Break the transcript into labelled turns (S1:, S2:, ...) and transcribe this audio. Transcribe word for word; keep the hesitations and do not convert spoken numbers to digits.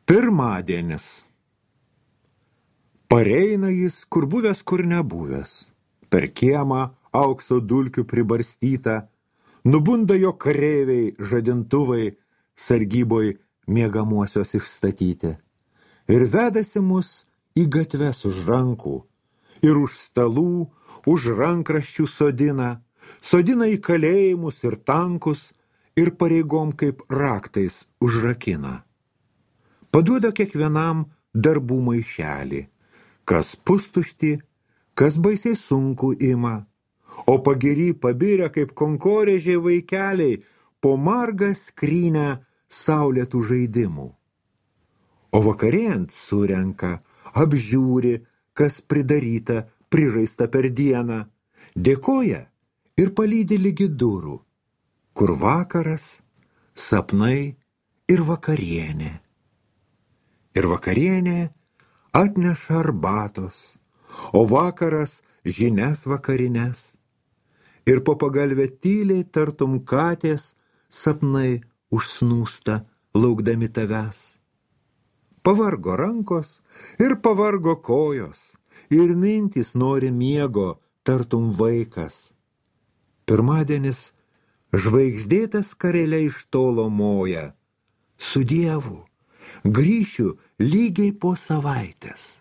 S1: Pirmadienis. Pareina jis, kur buvęs, kur nebuvęs. Per kiemą aukso dulkių pribarstyta, nubunda jo kareiviai, žadintuvai, sargyboj miegamuosios išstatyti. Ir vedasi mus į gatves už rankų, ir už stalų, už rankraščių sodina, sodina į kalėjimus ir tankus, ir pareigom kaip raktais užrakina. Paduoda kiekvienam darbų maišelį, kas pustuštį, kas baisiai sunku ima, o pagiri pabirę kaip konkorėžiai vaikeliai po margą skrynę saulėtų žaidimų. O vakarėjant surenka, apžiūri, kas pridaryta, prižaista per dieną, dėkoja ir palydi lygi durų, kur vakaras, sapnai ir vakarienė. Ir vakarienė atneša arbatos, o vakaras žinias vakarines. Ir po pagalvę tyliai tartum katės sapnai užsnūsta, laukdami tavęs. Pavargo rankos ir pavargo kojos, ir mintys nori miego, tartum vaikas. Pirmadienis žvaigždėtas karelė iš tolo moja, su Dievu grįšiu lygiai po savaitės.